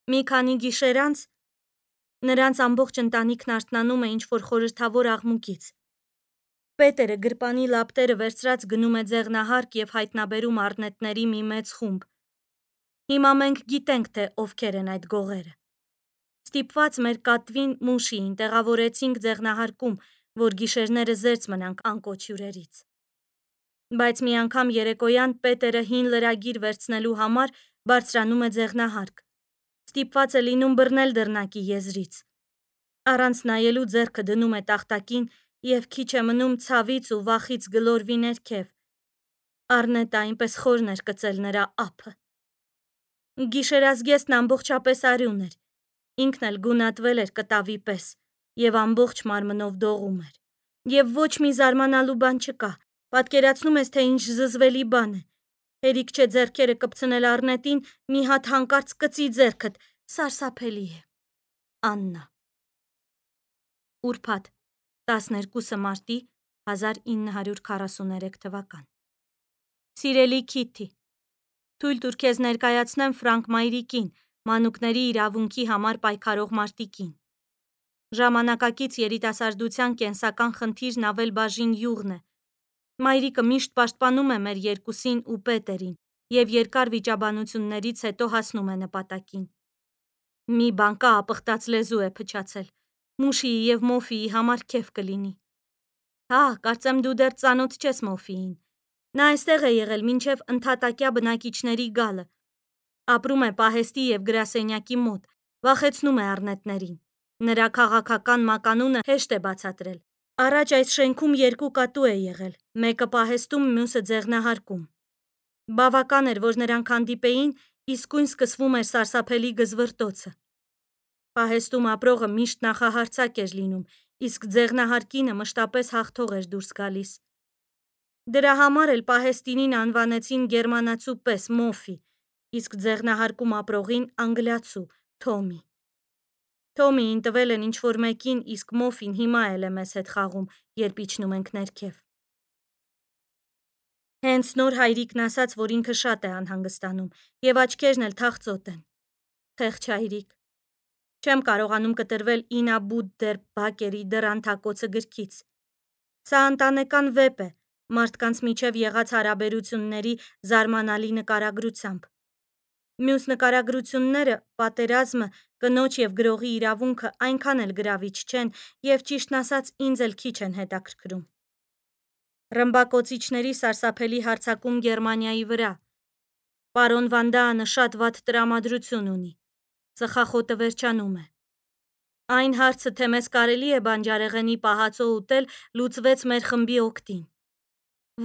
Մի քանի գիշեր անց նրանց ամբողջ ընտանիքն արթնանում է ինչ-որ խորհրդավոր աղմուկից։ Պետերը գրպանի լապտերը վերցրած գնում է ձեղնահարկ և հայտնաբերում առնետների մի մեծ խումբ։ Հիմա մենք գիտենք, թե ովքեր են այդ գողերը։ Ստիպված մեր կատվին Մուշիին տեղավորեցինք ձեղնահարկում, որ գիշերները զերծ մնանք անկոչ հյուրերից։ Բայց մի անգամ երեկոյան Պետերը հին լրագիր վերցնելու համար բարձրանում է ձեղնահարկ։ Ստիպված է լինում բռնել դռնակի եզրից։ Առանց նայելու ձեռքը դնում է տախտակին և քիչ է մնում ցավից ու վախից գլորվի ներքև։ Առնետը այնպես խորն էր կծել նրա ափը։ Գիշերազգեստն ամբողջապես արյուն էր, ինքն էլ գունատվել էր կտավի պես և ամբողջ մարմնով դողում էր։ Եվ ոչ մի զարմանալու բան չկա, պատկերացնում ես, թե ինչ զզվելի բան է։ Հերիք չէ ձեռքերը կպցնել առնետին, մի հատ հանկարծ կծի ձեռքդ, սարսափելի է։ Աննա։ Ուրբաթ 12 մարտի 1943 թվական։ Սիրելի Քիթի, թույլ տուր քեզ ներկայացնեմ Ֆրանկը մայրիկին, մանուկների իրավունքի համար պայքարող մարտիկին։ Ժամանակակից երիտասարդության կենսական խնդիրն ավելբաժին յուղն է։ Մայրիկը միշտ պաշտպանում է մեր երկուսին ու Պետերին և երկար վիճաբանություններից հետո հասնում է նպատակին։ Մի բան կա, ապխտած լեզու է փչացել։ Մուշիի և Մոֆիի համար քեֆ կլինի։ Հա, կարծեմ դու դեռ ծանոթ չես Մոֆիին։ Նա այստեղ է եղել մինչև ընդհատակյա բնակիչների գալը։ Ապրում է պահեստի և գրասենյակի մոտ, վախեցնում է առնետներին։ Նրա քաղաքական մականունը հեշտ է բացատրել։ Առաջ այս շենքում 2 կատու է եղել, մեկը պահեստում, մյուսը ձեղնահարկում։ Բավական էր, որ նրանք հանդիպեին, իսկույն սկսվում էր սարսափելի գզվռտոցը։ Պահեստում ապրողը միշտ նախահարձակ էր լինում, իսկ ձեղնահարկինը մշտապես հաղթող էր դուրս գալիս։ Դրա համար էլ Պահեստինին անվանեցին գերմանացու պես Մոֆի, իսկ ձեղնահարկում ապրողին անգլիացու Թոմի։ Թոմիին տվել են ինչ-որ մեկին, իսկ Մոֆին հիմա էլ է մեզ հետ խաղում, երբ իջնում ենք ներքև։ Հենց նոր հայրիկն ասաց, որ ինքը շատ է անհանգստանում, և աչքերն էլ թախծոտ են։ Խեղճ հայրիկ։ Չեմ կարողանում կտրվել Ինա Բուդդեր Բակերի դռան-թակոցը գրքից։ Սա ընտանեկան վեպ է, մարդկանց միջև եղած հարաբերությունների զարմանալի նկարագրությամբ։ Մյուս նկարագրությունները, պատերազմը, կնոջ և գրողի իրավունքը այնքան էլ գրավիչ չեն և ճիշտն ասած ինձ էլ քիչ են հետաքրքրում։ Ռմբակոծիչների սարսափելի հարձակում Գերմանիայի վրա։ Պարոն Վան Դաանը շատ վատ տրամադրություն ունի։ Ծխախոտը վերջանում է։ Այն հարցը, թե մեզ կարելի է բանջարեղենի պահածո ուտել, լուծվեց մեր խմբի օգտին։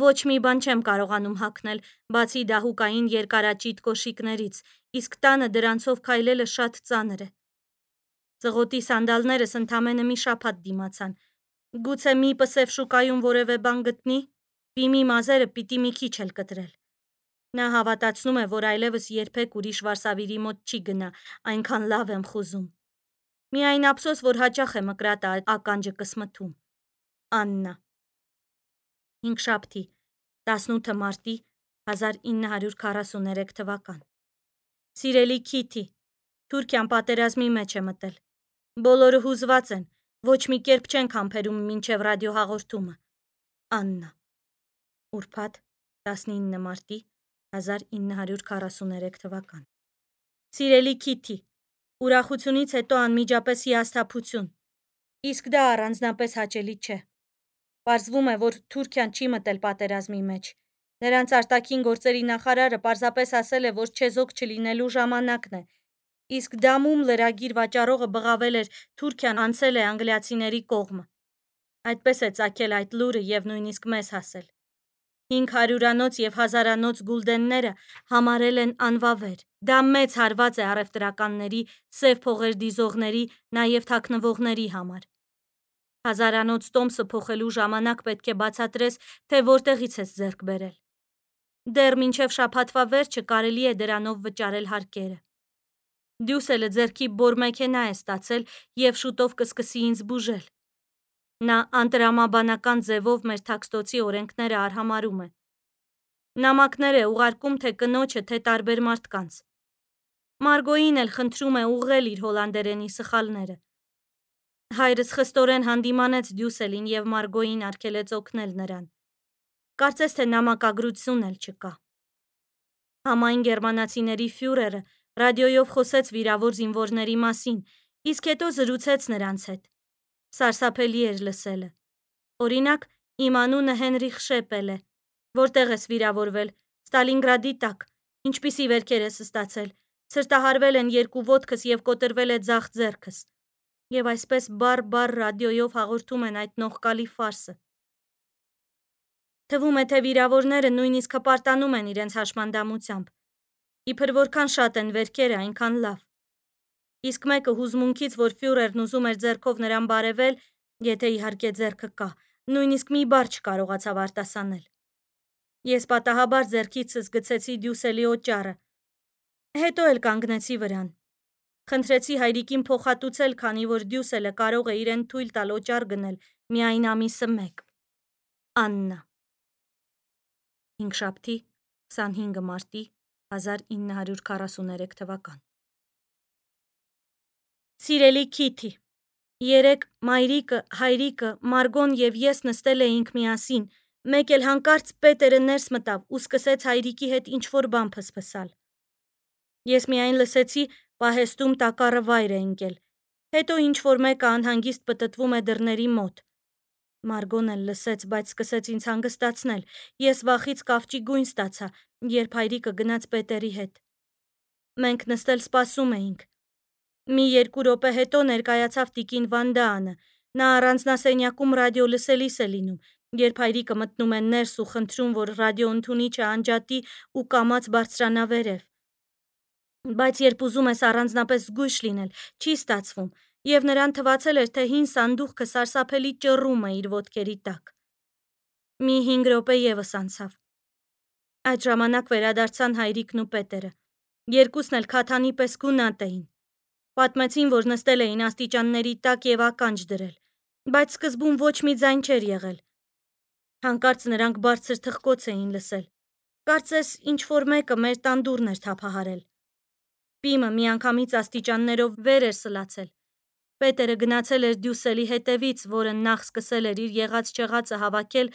Ոչ մի բան չեմ կարողանում հագնել, բացի դահուկային երկարաճիտ կոշիկներից, իսկ տանը դրանցով քայլելը շատ ծանր է։ Ծղոտի սանդալներս ընդամենը մի շաբաթ դիմացան։ Գուցե մի պսև շուկայում որևէ բան գտնի։ Պիմի մազերը պիտի մի քիչ էլ կտրել։ Նա հավատացնում է, որ այլևս երբեք ուրիշ վարսավիրի մոտ չի գնա, այնքան լավ եմ խուզում։ Միայն ափսոս, որ հաճախ է մկրատը ականջը կսմթում։ Աննա։ Հինգշաբթի 18 մարտի 1943 թվական։ Սիրելի Քիթի, Թուրքիան պատերազմի մեջ է մտել։ Բոլորը հուզված են, ոչ մի կերպ չենք համբերում մինչև ռադիոհաղորդումը։ Աննա։ Ուրբաթ 19 մարտի 1943 թվական։ Սիրելի Քիթի, ուրախությունից հետո անմիջապես հիասթափություն։ Իսկ դա առանձնապես հաճելի չէ։ Պարզվում է, որ Թուրքիան չի մտել պատերազմի մեջ։ Նրանց արտաքին գործերի նախարարը պարզապես ասել է, որ չեզոք չլինելու ժամանակն է։ Իսկ Դամում լրագիր վաճառողը բղավել էր Թուրքիան անցել է անգլիացիների կողմը։ Այդպես է ծագել այդ լուրը և նույնիսկ մեզ հասել։ 500-անոց և 1000-անոց գուլդենները համարել են անվավեր։ Դա մեծ հարված է առևտրականների, սև փողեր դիզողների, նաև թաքնվողների համար։ 1000-անոց տոմսը փոխելու ժամանակ պետք է բացատրես, թե որտեղից ես ձեռք բերել։ Դեռ մինչև շաբաթվա վերջը կարելի է դրանով վճարել հարկերը։ Դյուսելը ձեռքի բոր մեքենա է ստացել և շուտով կսկսի ինձ բուժել։ Նա անտրամաբանական ձևով մեր թաքստոցի օրենքները արհամարհում է։ Նամակներ է ուղարկում թե կնոջը, թե տարբեր մարդկանց։ Մարգոին էլ խնդրում է ուղղել իր հոլանդերենի սխալները։ Հայրս խստորեն հանդիմանեց Դյուսելին և Մարգոին արգելեց օգնել նրան։ Կարծես թե նամակագրություն էլ չկա։ Համայն գերմանացիների ֆյուրերը ռադիոյով խոսեց վիրավոր զինվորների մասին, իսկ հետո զրուցեց նրանց հետ։ Սարսափելի էր լսելը։ Օրինակ, իմ անունը Հենրիխ Շեպել է։ Որտեղ ես վիրավորվել։ Ստալինգրադի տակ։ Ինչպիսի վերքեր ես ստացել։ Ցրտահարվել են 2 ոտքս և կոտրվել է ձախ ձեռքս։ Եվ այսպես բառ ռադիոյով հաղորդում են այդ նողկալի ֆարսը։ Թվում է, թե վիրավորները նույնիսկ հպարտանում են իրենց հաշմանդամությամբ։ Իբր որքան շատ են վերքերը, այնքան լավ։ Իսկ մեկը հուզմունքից, որ ֆյուրերն ուզում էր ձեռքով նրան բարևել, եթե իհարկե ձեռքը կա, նույնիսկ մի բառ չկարողացավ արտասանել։ Ես պատահաբար ձեռքիցս գցեցի Դյուսելի օճառը, հետո էլ կանգնեցի վրան։ Խնդրեցի հայրիկին փոխհատուցել, քանի որ Դյուսելը կարող է իրեն թույլ տալ օճառ գնել միայն ամիսը 1։ Աննա։ Հինգշաբթի 25 մարտի 1943 թվական։ Սիրելի Քիթի, երեկ մայրիկը, հայրիկը, Մարգոն և ես նստել էինք միասին, մեկ էլ հանկարծ Պետերը ներս մտավ ու սկսեց հայրիկի հետ ինչ-որ բան փսփսալ։ Ես միայն լսեցի պահեստում տակառը վայր է ընկել, հետո ինչ-որ մեկը անհանգիստ պտտվում է դռների մոտ։ Մարգոն էլ լսեց, բայց սկսեց ինձ հանգստացնել։ Ես վախից կավճի գույն ստացա, երբ հայրիկը գնաց Պետերի հետ։ Մենք նստել սպասում էինք։ Մի 2 րոպե հետո ներկայացավ տիկին Վանդաանը։ Նա առանձնասենյակում ռադիո լսելիս է լինում, երբ հայրիկը մտնում է ներս ու խնդրում, որ ռադիոընդունիչը անջատի ու կամաց բարձրանա վերև։ Բայց երբ ուզում ես առանձնապես զգույշ լինել, չի ստացվում, և նրան թվացել էր, թե հին սանդուղքը սարսափելի ճռռում է իր ոտքերի տակ։ Մի 5 րոպե ևս անցավ։ Այդ ժամանակ վերադարձան հայրիկն ու Պետերը։ Երկուսն էլ քաթանի պես գունատ էին։ Պատմեցին, որ նստել էին աստիճանների տակ և ականջ դրել, բայց սկզբում ոչ մի ձայն չէր եղել։ Հանկարծ նրանք բարձր թխկոց էին լսել։ Կարծես ինչ-որ մեկը մեր տան դուռն էր թափահարել։ Պիմը միանգամից աստիճաններով վեր էր սլացել։ Պետերը գնացել էր Դյուսելի հետևից, որը նախ սկսել էր իր եղած-չեղածը հավաքել,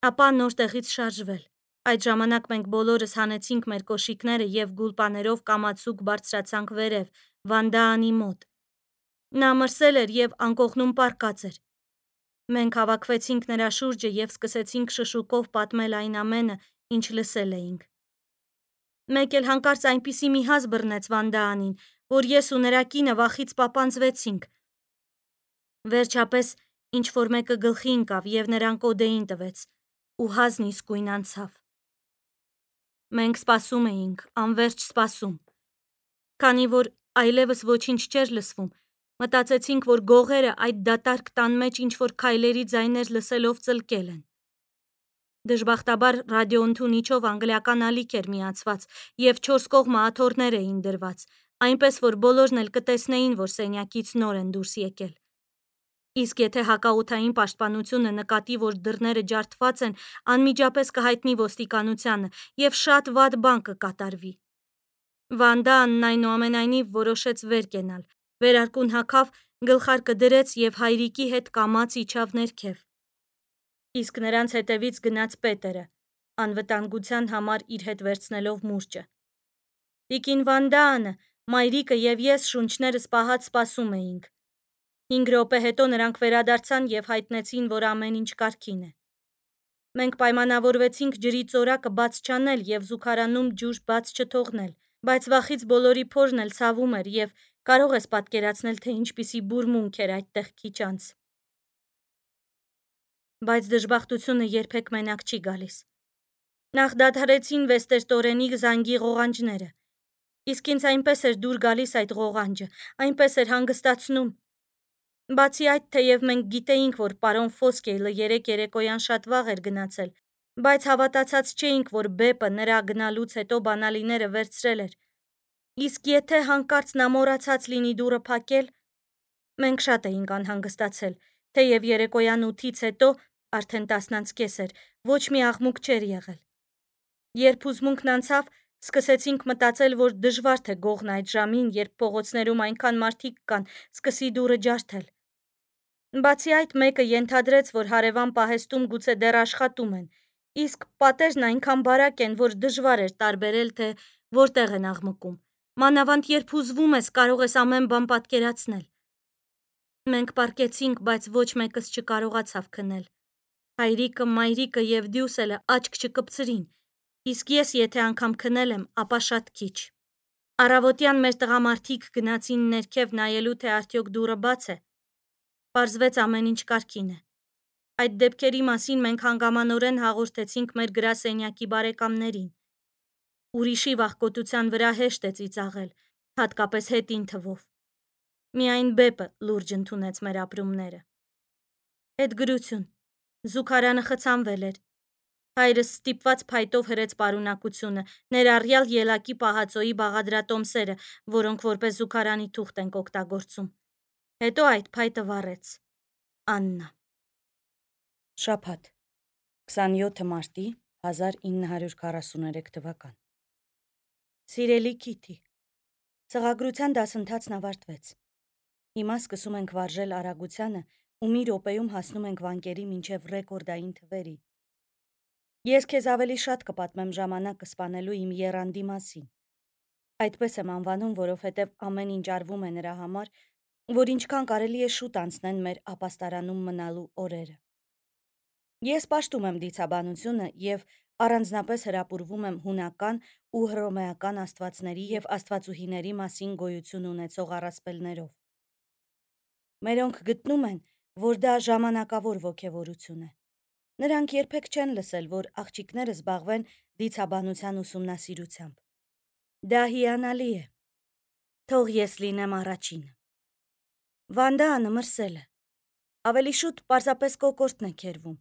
ապա նոր տեղից շարժվել։ Այդ ժամանակ մենք բոլորս հանեցինք մեր կոշիկները և գուլպաներով կամացուկ բարձրացանք վերև, Վանդաանի մոտ։ Նա մրսել էր և անկողնում պառկած էր։ Մենք հավաքվեցինք նրա շուրջը և սկսեցինք շշուկով պատմել այն ամենը, ինչ լսել էինք։ Մեկ էլ հանկարծ այնպիսի մի հազ բռնեց Վանդաանին, որ ես ու նրա կինը վախից պապանձվեցինք։ Վերջապես ինչ-որ մեկը գլխի ընկավ և նրան կոդեին տվեց, ու հազն իսկույն անցավ։ Մենք սպասում էինք, անվերջ սպասում։ Քանի որ այլևս ոչինչ չէր լսվում, մտածեցինք, որ գողերը այդ դատարկ տան մեջ ինչ-որ քայլերի ձայներ լսելով ծլկել են։ Դժբախտաբար ռադիոընդունիչով անգլիական ալիք էր միացված և 4 կողմը աթոռներ էին դրված, այնպես որ բոլորն էլ կտեսնեին, որ սենյակից նոր են դուրս եկել։ Իսկ եթե հակաօդային պաշտպանությունը նկատի, որ դռները ջարդված են, անմիջապես կհայտնի ոստիկանությանը և շատ վատ բան կկատարվի։ Վանդաանն այնուամենայնիվ որոշեց վեր կենալ, վերարկուն հագավ, գլխարկը դրեց և հայրիկի հետ կամաց իջավ ներքև։ Իսկ նրանց հետևից գնաց Պետերը, անվտանգության համար իր հետ վերցնելով մուրճը։ Տիկին Վանդաանը, մայրիկը և ես շունչներս պահած սպասում էինք։ 5 րոպե հետո նրանք վերադարձան և հայտնեցին, որ ամեն ինչ կարգին է։ Մենք պայմանավորվեցինք ջրի ծորակը բաց չանել և զուգարանում ջուր բաց չթողնել, բայց վախից բոլորի փորն էլ ցավում էր և կարող ես պատկերացնել, թե ինչպիսի բուրմունք էր այդտեղ քիչ անց։ Բայց դժբախտությունը երբեք մենակ չի գալիս։ Նախ դադարեցին Վեստերտորենի զանգի ղողանջները։ Իսկ ինձ այնպես էր դուր գալիս այդ ղողանջը, այնպես էր հանգստացնում։ Բացի այդ, թեև մենք գիտեինք, որ պարոն Ֆոսկեյլը երեկ երեկոյան շատ վաղ էր գնացել, բայց հավատացած չէինք, որ Բեպը նրա գնալուց հետո բանալիները վերցրել էր։ Իսկ եթե հանկարծ նա մոռացած լինի դուռը փակել, մենք շատ էինք անհանգստացել, թեև երեկոյան 8-ից հետո, արդեն 10:30 էր, ոչ մի աղմուկ չէր եղել։ Երբ հուզմունքն անցավ, Սկսեցինք մտածել, որ դժվար թե գողն այդ ժամին, երբ փողոցներում այնքան մարդիկ կան, սկսի դուռը ջարդել։ Բացի այդ, մեկը ենթադրեց, որ հարևան պահեստում գուցե դեռ աշխատում են, իսկ պատերն այնքան բարակ են, որ դժվար էր տարբերել, թե որտեղ են աղմկում։ Մանավանդ երբ հուզվում ես, կարող ես ամեն բան պատկերացնել։ Մենք պառկեցինք, բայց ոչ մեկս չկարողացավ քնել։ Հայրիկը, մայրիկը և Դյուսելը աչք չկպցրին, իսկ ես եթե անգամ քնել եմ, ապա շատ քիչ։ Առավոտյան մեր տղամարդիկ գնացին ներքև նայելու, թե արդյոք դուռը բաց է։ Պարզվեց ամեն ինչ կարգին է։ Այդ դեպքերի մասին մենք հանգամանորեն հաղորդեցինք մեր գրասենյակի բարեկամներին։ Ուրիշի վախկոտության վրա հեշտ է ծիծաղել, հատկապես հետին թվով։ Միայն Բեպը լուրջ ընդունեց մեր ապրումները։ Հետ գրություն։ Զուգարանը խցանվել էր։ Հայրս ստիպված փայտով հրեց պարունակությունը, ներառյալ ելակի պահածոյի բաղադրատոմսերը, որոնք որպես զուգարանի թուղթ ենք օգտագործում։ Հետո այդ փայտը վառեց։ Աննա։ Շաբաթ 27 մարտի 1943 թվական։ Սիրելի Քիթի, ծղագրության դասընթացն ավարտվեց։ Հիմա սկսում ենք վարժել արագությանը ու մի րոպեում հասնում ենք վանկերի մինչև ռեկորդային թվերի։ Ես քեզ ավելի շատ կպատմեմ ժամանակը սպանելու իմ եռանդի մասին։ Այդպես եմ անվանում, որովհետև ամեն ինչ արվում է նրա համար, որ ինչքան կարելի է շուտ անցնեն մեր ապաստարանում մնալու օրերը։ Ես պաշտում եմ դիցաբանությունը և առանձնապես հրապուրվում եմ հունական ու հռոմեական աստվածների և աստվածուհիների մասին գոյություն ունեցող առասպելներով։ Մերոնք գտնում են, որ դա ժամանակավոր ոգևորություն է։ Նրանք երբեք չեն լսել, որ աղջիկները զբաղվեն դիցաբանության ուսումնասիրությամբ։ Դա հիանալի է։ Թող ես լինեմ առաջինը։ Վանդանը մրսել է։ Ավելի շուտ պարզապես կոկորդն է քերվում,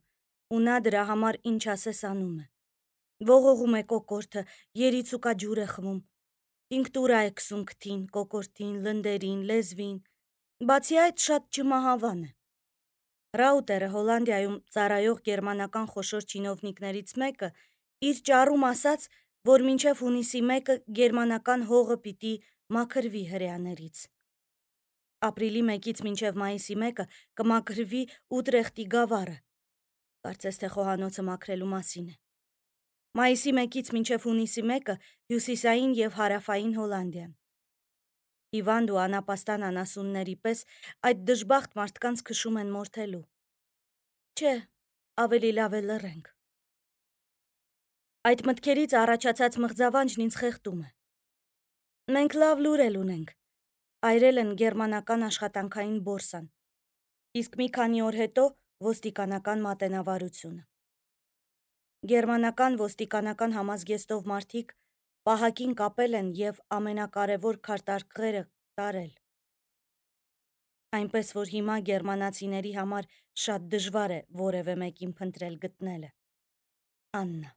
ու նա դրա համար ինչ ասես անում է։ Ողողում է կոկորդը, երիցուկաջուր է խմում, տինկտուրա է քսում քթին, կոկորդին, լնդերին, լեզվին, բացի այդ շատ չմահավան է։ Ռաուտերը Հոլանդիայում ծառայող գերմանական խոշոր չինովնիկներից մեկը իր ճառում ասաց, որ մինչև հունիսի 1-ը գերմանական հողը պիտի մաքրվի հրեաներից։ Ապրիլի 1-ից մինչև մայիսի 1-ը կմաքրվի Ուտրեխտի գավառը, կարծես թե խոհանոցը մաքրելու մասին է։ Մայիսի 1-ից մինչև հունիսի 1-ը հյուսիսային և հարավային Հոլանդիան։ Հիվանդ ու անապաստան անասունների պես այդ դժբախտ մարդկանց քշում են մորթելու։ Չէ, ավելի լավ է լռենք։ Այդ մտքերից առաջացած մղձավանջն ինձ խեղդում է։ Մենք լավ լուրել ունենք։ Այրել են գերմանական աշխատանքային բորսան, իսկ մի քանի օր հետո ոստիկանական մատենավարությունը։ Գերմանական ոստիկանական համազգեստով մարդիկ պահակին կապել են և ամենակարևոր քարտարկղերը տարել։ Այնպես, որ հիմա գերմանացիների համար շատ դժվար է որևէ մեկին փնտրել գտնելը։ Աննա։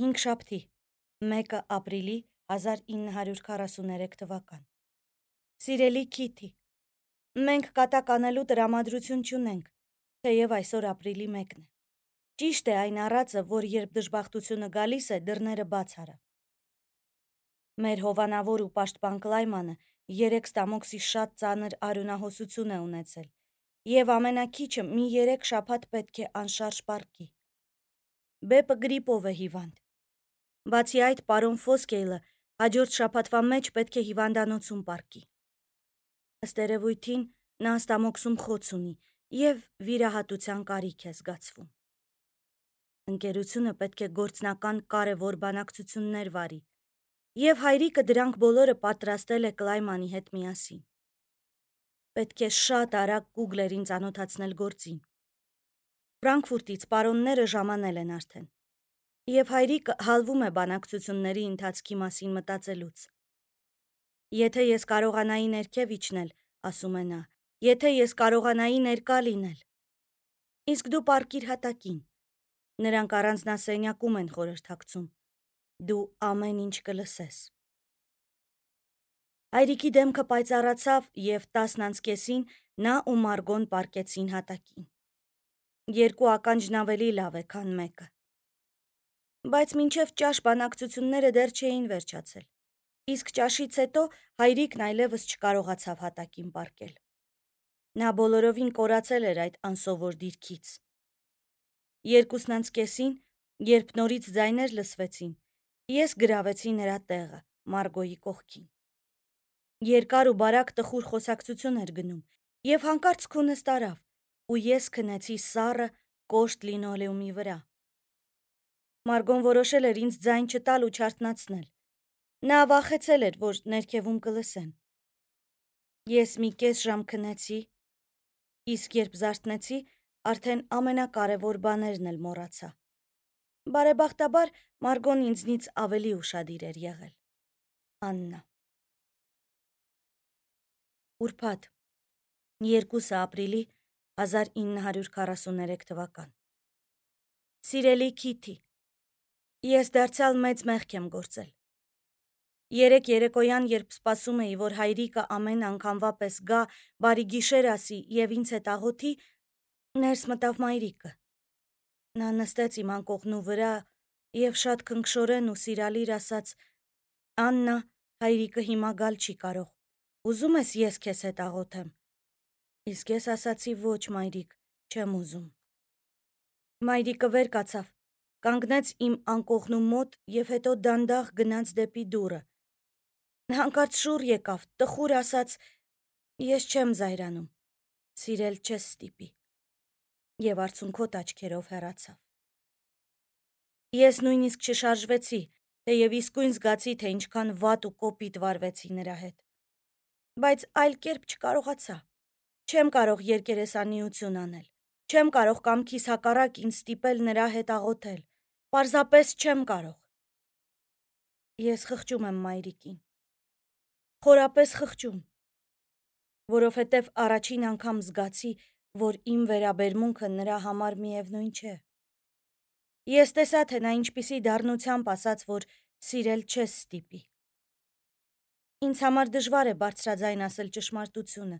5 շաբթի 1 ապրիլի 1943 թվական։ Սիրելի Քիթի, մենք կատակ անելու տրամադրություն չունենք, թեև այսօր ապրիլի 1-ն է։ Ճիշտ է այն առածը, որ երբ դժբախտությունը գալիս է, դռները բաց արա։ Մեր հովանավոր ու պաշտպան Կլայմանը 3 ստամոքսի շատ ծանր արյունահոսություն է ունեցել, և ամենաքիչը մի 3 շաբաթ պետք է անշարժ պառկի։ Բեպը գրիպով է հիվանդ։ Բացի այդ, պարոն Ֆոսկեյլը հաջորդ շաբաթվա մեջ պետք է հիվանդանոցում պառկի։ Ըստ երևույթին, նա ստամոքսում խոց ունի և վիրահատության կարիք է զգացվում։ Ընկերությունը պետք է գործնական կարևոր բանակցություններ վարի, և հայրիկը դրանք բոլորը պատրաստել է Կլայմանի հետ միասին։ Պետք է շատ արագ Կուգլերին ծանոթացնել գործին։ Ֆրանկֆուրտից պարոնները ժամանել են արդեն, և հայրիկը հալվում է բանակցությունների ընթացքի մասին մտածելուց։ Եթե ես կարողանայի ներքև իջնել, ասում է նա, եթե ես կարողանայի ներկա լինել։ Իսկ դու պառկիր հատակին։ Նրանք առանձնասենյակում են խորհրդակցում։ Դու ամեն ինչ կլսես։ Հայրիկի դեմքը պայծառացավ, և 10:30-ին նա ու Մարգոն պառկեցին հատակին։ 2 ականջն ավելի լավ է, քան 1-ը։ Բայց մինչև ճաշ բանակցությունները դեռ չէին վերջացել, իսկ ճաշից հետո հայրիկն այլևս չկարողացավ հատակին պառկել։ Նա բոլորովին կորացել էր այդ անսովոր դիրքից։ 2:30-ին, երբ նորից ձայներ լսվեցին, ես գրավեցի նրա տեղը Մարգոյի կողքին։ Երկար ու բարակ տխուր խոսակցություն էր գնում, եւ հանկարծ քունս տարավ, ու ես քնեցի սառը, կոշտ լինոլեումի վրա։ Մարգոն որոշել էր ինձ ձայն չտալ ու չարթնացնել։ Նա վախեցել էր, որ ներքևում կլսեն։ Ես մի կես ժամ քնեցի, իսկ երբ զարթնեցի, արդեն ամենակարևոր բաներն էլ մոռացա։ Բարեբախտաբար Մարգոն ինձնից ավելի ուշադիր էր եղել։ Աննա։ Ուրբաթ 2 ապրիլի 1943 թվական։ Սիրելի Քիթի, ես դարձյալ մեծ մեղք եմ գործել։ Երեկ երեկոյան, երբ սպասում էի, որ հայրիկը ամեն անգամվա պես գա, բարի գիշեր ասի եւ ինձ հետ աղոթի, ներս մտավ մայրիկը։ Նա նստեց իմ անկողնու վրա եւ շատ քնքշորեն ու սիրալիր ասաց. «Աննա, հայրիկը հիմա գալ չի կարող։ Ուզում ես ես քեզ հետ աղոթեմ»։ Իսկ ես ասացի. «Ոչ, մայրիկ, չեմ ուզում»։ Մայրիկը վեր կացավ, կանգնեց իմ անկողնու մոտ եւ հետո դանդաղ գնաց դեպի դուռը։ Հանկարծ շուռ եկավ, տխուր ասաց. «Ես չեմ զայրանում, սիրել չես ստիպի» եւ արցունքոտ աչքերով հեռացավ։ Ես նույնիսկ չշարժվեցի, թեև իսկույն զգացի, թե ինչքան վատ ու կոպիտ վարվեցի նրա հետ։ Բայց այլ կերպ չկարողացա։ Չեմ կարող երկերեսանիություն անել։ Չեմ կարող կամքիս հակառակ ինձ ստիպել նրա հետ աղոթել։ Պարզապես չեմ կարող։ Ես խղճում եմ մայրիկին։ Խորապես խղճում, որովհետև առաջին անգամ զգացի, որ իմ վերաբերմունքը նրա համար միևնույն չէ։ Ես տեսա, թե նա ինչպիսի դառնությամբ ասաց, որ սիրել չես ստիպի։ Ինձ համար դժվար է բարձրաձայն ասել ճշմարտությունը,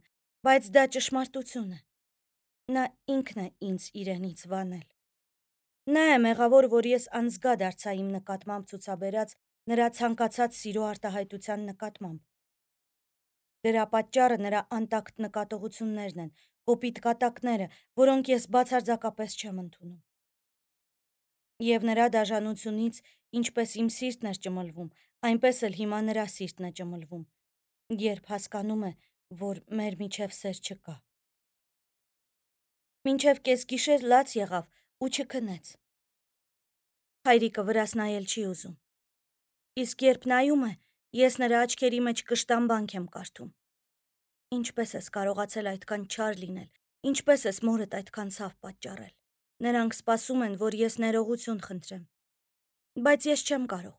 բայց դա ճշմարտություն է։ Նա ինքն է ինձ իրենից վանել։ Նա է մեղավոր, որ ես անզգա դարձա իմ նկատմամբ ցուցաբերած նրա ցանկացած սիրո արտահայտության նկատմամբ։ Դրա պատճառը նրա անտակտ նկատողություններն են, կոպիտ կատակները, որոնք ես բացարձակապես չեմ ընդունում։ Եվ նրա դաժանությունից, ինչպես իմ սիրտն էր ճմլվում, այնպես էլ հիմա նրա սիրտն է ճմլվում, երբ հասկանում է, որ մեր միջև սեր չկա։ Մինչև կեսգիշեր լաց եղավ ու չքնեց։ Հայրիկը վրաս նայել չի ուզում։ Իսկ երբ նայում է, ես նրա աչքերի մեջ կշտամբանք եմ կարդում։ Ինչպես ես կարողացել այդքան չար լինել, ինչպես ես մորդ այդքան ցավ պատճառել։ Նրանք սպասում են, որ ես ներողություն խնդրեմ։ Բայց ես չեմ կարող։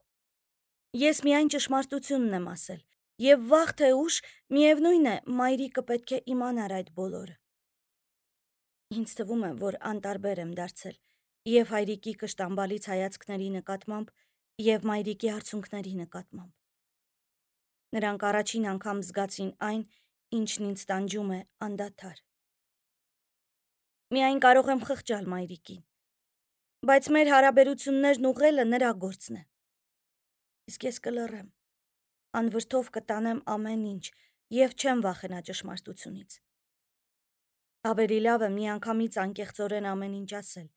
Ես միայն ճշմարտությունն եմ ասել, եւ վաղ թե ուշ, միևնույն է, մայրիկը պետք է իմանար այդ բոլորը։ Ինձ թվում է, որ անտարբեր եմ դարձել եւ հայրիկի կշտամբալից հայացքների նկատմամբ եւ մայրիկի արցունքների նկատմամբ։ Նրանք առաջին անգամ զգացին այն, ինչն ինձ տանջում է անդադար։ Միայն կարող եմ խղճալ մայրիկին, բայց մեր հարաբերություններն ուղղելը նրա գործն է։ Իսկ ես կլռեմ, անվրդով կտանեմ ամեն ինչ եւ չեմ վախենա ճշմարտությունից։ Ավելի լավ է միանգամից անկեղծորեն ամեն ինչ ասել,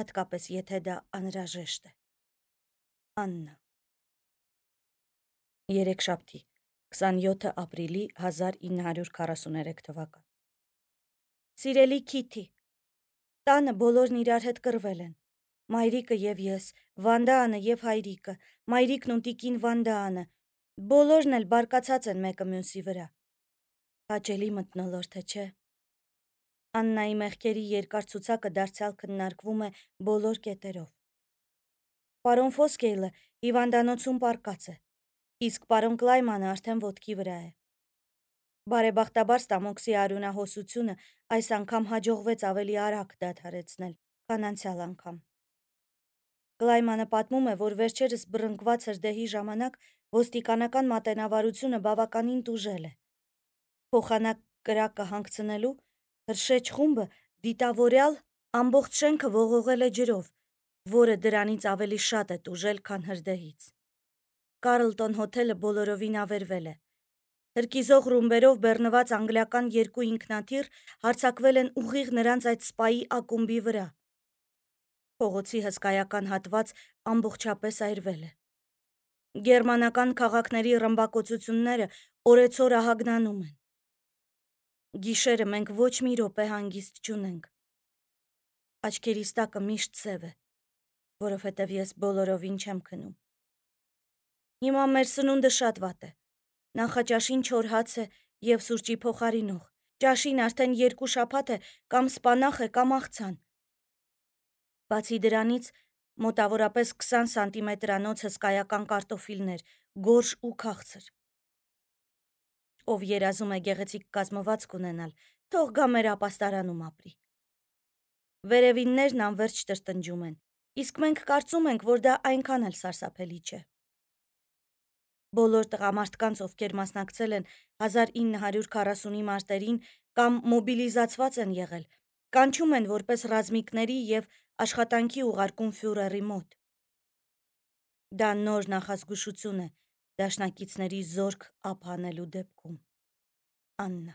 հատկապես եթե դա անհրաժեշտ է։ Աննա։ Երեքշաբթի 27 ապրիլի 1943 թվական։ Սիրելի Քիթի, տանը բոլորն իրար հետ կռվել են։ Մայրիկը եւ ես, Վանդաանը եւ հայրիկը, մայրիկն ու տիկին Վանդաանը, բոլորն էլ բարկացած են մեկը մյուսի վրա։ Հաճելի մթնոլորտ է, չէ՞։ Աննայի մեղքերի երկար ցուցակը դարձյալ քննարկվում է բոլոր կետերով։ Պարոն Ֆոսկեյլը հիվանդանոցում պառկած է, իսկ պարոն Կլայմանը արդեն ոտքի վրա է։ Բարեբախտաբար ստամոքսի արյունահոսությունը այս անգամ հաջողվեց ավելի արագ դադարեցնել, քան անցյալ անգամ։ Կլայմանը պատմում է, որ վերջերս բռնկված հրդեհի ժամանակ ոստիկանական մատենավարությունը բավականին տուժել է։ Փոխանակ կրակը հանգցնելու հրշեջ խումբը դիտավորյալ ամբողջ շենքը ողողել է ջրով, որը դրանից ավելի շատ է տուժել, քան հրդեհից։ Կարլտոն հոթելը բոլորովին ավերվել է։ Հրկիզող ռումբերով բեռնված անգլիական երկու ինքնաթիռ հարձակվել են ուղիղ նրանց այդ սպայի ակումբի վրա։ Փողոցի հսկայական հատված ամբողջապես այրվել է։ Գերմանական քաղաքների ռմբակոծությունները օրեցօր ահագնանում են։ Գիշերը մենք ոչ մի րոպե հանգիստ չունենք։ Աչքերիս տակը միշտ սև է, որովհետև ես բոլորովին չեմ քնում։ Հիմա մեր սնունդը շատ վատ է։ Նախաճաշին չոր հաց է և սուրճի փոխարինող, ճաշին արդեն 2 շաբաթ է կամ սպանախ է, կամ աղցան։ Բացի դրանից, մոտավորապես 20 սանտիմետրանոց հսկայական կարտոֆիլներ, գորշ ու քաղցր։ Ով երազում է գեղեցիկ կազմվածք ունենալ, թող գա մեր ապաստարանում ապրի։ Վերևիններն անվերջ տրտնջում են, իսկ մենք կարծում ենք, որ դա այնքան էլ սարսափելի չէ։ Բոլոր տղամարդկանց, ովքեր մասնակցել են 1940-ի մարտերին կամ մոբիլիզացված են եղել, կանչում են որպես ռազմիկների և աշխատանքի ուղարկում ֆյուրերի մոտ։ Դա նոր նախազգուշություն է դաշնակիցների զորք ափ հանելու դեպքում։ Աննա։